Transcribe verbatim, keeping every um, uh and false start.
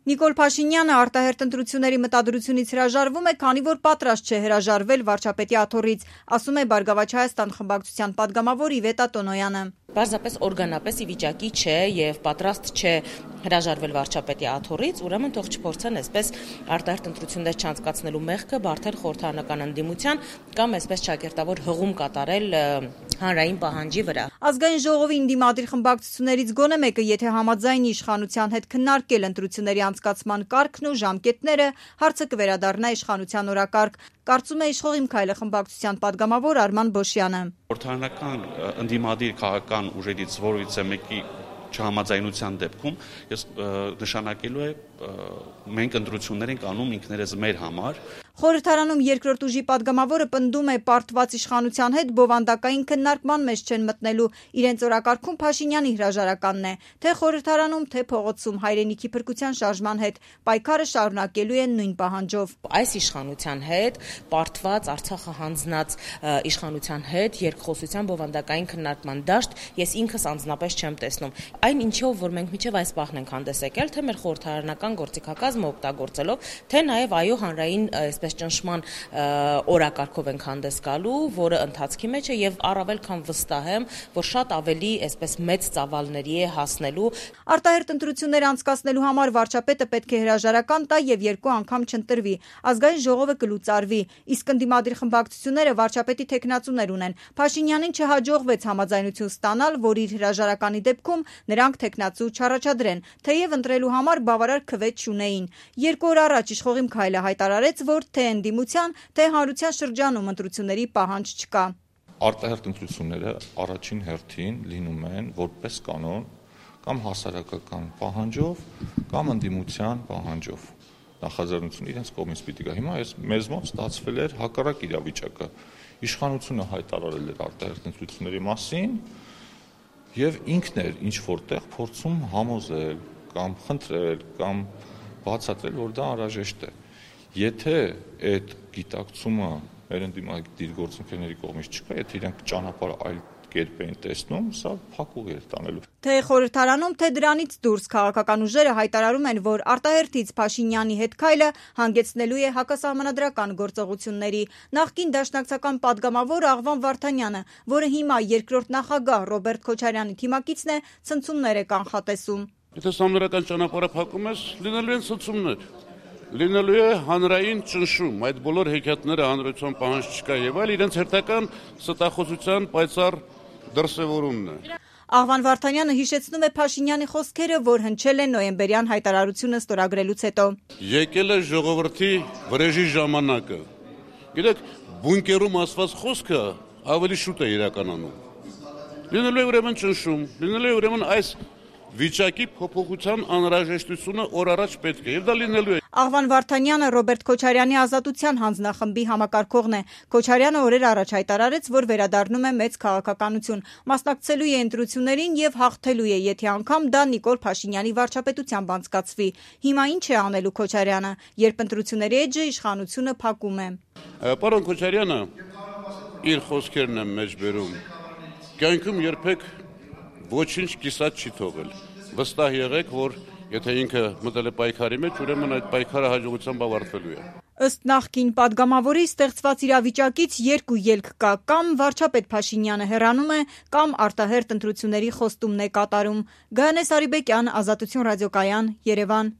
Նիկոլ Փաշինյանը արտահերթ ընտրությունների մտադրությունից հրաժարվում է, քանի որ պատրաստ չէ հրաժարվել վարչապետի աթոռից, ասում է Բարգավաճ Հայաստան խմբակցության պատգամավոր Իվետա Տոնոյանը։ Պարզապես օրգանապես ի վիճակի չէ եւ պատրաստ չէ հրաժարվել վարչապետի աթոռից, ուրեմն թող չփորձեն այսպես արտահերթ ընտրություններ չանցկացնելու մեղքը բարթել խորհրդարանական ընդդիմության կամ այսպես ճակերտավոր հղում կատարել հանրային պահանջի վրա։ Ազգային ժողովի ընդդիմադիր խմբակցություններից գոնե մեկը, եթե համաձայնի իշխանության հետ քննարկել ընտրությունների անցկացման կարգն ու ժամկետները, հարցը կվերադառնա իշխանության օրակարգ, կարծում է Իշխող իմ քայլը խմբակցության պատգամավոր Արման Բոշյանը։ Խորհրդարանական ընդդիմադիր քաղաքական ուժերից որևիցե մեկի չհամաձայնության դեպքում ես նշանակելու է մենք ընտրություններ ենք անում ինքներս մեր համար։ Խորհրդարանում երկրորդ ուժի պատգամավորը պնդում է պարտված իշխանության հետ բովանդակային քննարկման մեջ չեն մտնելու, իրենց օրակարգում Փաշինյանի հրաժարականն է, թե խորհրդարանում, թե փողոցում հայրենիքի փրկության շարժման հետ պայքարը շարունակելու են նույն պահանջով։ Այս իշխանության հետ, պարտված Արցախը հանձնած իշխանության հետ երկխոսության բովանդակային քննարկման դաշտ ես ինքս անձնապես չեմ տեսնում։ Այն ինչով որ մենք միջև այս պահն ենք հանդես եկել, թե մեր խորհրդարանական գործիքակազմը օգտագործելով, թե նաև այո հանրային այսպես ճնշման օրակարգով ենք հանդես գալու, որը ընթացքի մեջ է եւ առավել քան վստահ եմ, որ շատ ավելի այսպես մեծ ծավալների է հասնելու։ Արտահերթ ընտրություններ անցկացնելու համար վարչապետը պետք է հրաժարական տա եւ երկու անգամ չընտրվի։ Ազգային ժողովը կլուծարվի, իսկ ընդդիմադիր խմբակցությունները վարչապետի թեկնածուներ ունեն։ Փաշինյանին չհաջողվեց համաձայնություն ստանալ, որ իր հրաժարականի դեպքում նրանք թեկնածու չառաջադրեն, թեև ընտրելու համար բավարար քվե չունեին։ Երկու օր առաջ Իշխող իմ քայլը հայտարարեց, որ թե ընդդիմության, թե հանրության շրջանում ընտրությունների պահանջ չկա։ Արտահերթ ընտրությունները առաջին հերթին լինում են որպես կանոն կամ հասարակական պահանջով կամ ընդդիմության պահանջով։ Նախաձեռնությունը իրենց կողմից պիտի գա։ Հիմա այս մեզ մոտ ստացվել էր հակառակ իրավիճակը։ Իշխանությունը հայտարարել էր արտահերթ ընտրությունների մասին եւ ինքն էր ինչ որտեղ փորձում համոզել կամ խնդրել կամ բացատրել, որ դա անհրաժեշտ է։ Եթե այդ գիտակցումը մեր ընդդիմադիր գործընկերների կողմից չկա, եթե իրենք ճանապարհը այլ կերպ էին տեսնում, սա փակուղ էր տանելու։ Թե խորհրդարանում, թե դրանից դուրս քաղաքական ուժերը հայտարարում են, որ արտահերթից Փաշինյանի հետ քայլը հանգեցնելու է հակասահմանադրական գործողությունների։ Նախկին դաշնակցական պատգամավոր Աղվան Վարդանյանը, որը հիմա երկրորդ նախագահ Ռոբերտ Քոչարյանի թիմակիցն է, ցնցումներ է կանխատեսում։ Եթե սահմանադրական ճանապարհը փակում ես, լինելու են ցնցումներ։ Լինելու է հանրային ճնշում, այդ բոլոր հեքիաթները հանրության պահանջ չկա եւ այլ իրենց հերթական ստախոսության պայծառ դրսևորումն է։ Աղվան Վարդանյանը հիշեցնում է Փաշինյանի խոսքերը, որ հնչել են նոյեմբերյան հայտարարությունը ստորագրելուց հետո։ Եկել է ժողովրդի վրեժի ժամանակը։ Գիտեք, բունկերում ասված խոսքը ավելի շուտ է իրականանում։ Լինելու է ուրեմն ճնշում, լինելու է ուրեմն այս վիճակի փոփոխության անհրաժեշտությունը օր առաջ պետք է եւ դա լինելու է։ Աղվան Վարդանյանը Ռոբերտ Քոչարյանի ազատության հանձնախմբի համակարգողն է։ Քոչարյանը օրեր առաջ հայտարարեց, որ վերադառնում է մեծ քաղաքականություն, մասնակցելու է ընտրություններին եւ հաղթելու է, եթե անգամ դա Նիկոլ Փաշինյանի վարչապետությամբ անցկացվի։ Հիմա ինչ է անելու Քոչարյանը, երբ ընտրությունների էջը իշխանությունը փակում է։ Պարոն Քոչարյանը իր խոսքերն է մեջ բերում։ Կյանքում երբեք ոչինչ կիսատ չի թողել։ Վստահ եղեք, որ եթե ինքը մտել է պայքարի մեջ, ուրեմն այդ պայքարը հաջողությամբ ավարտվելու է։ Ըստ նախկին պատգամավորի ստեղծված իրավիճակից երկու ելք կա՝ կամ վարչապետ Փաշինյանը հեռանում է, կամ արտահերթ ընտրությունների խոստումն է կատարում։ Գայանե Սարիբեկյան, Ազատություն ռադիոկայան, Երևան։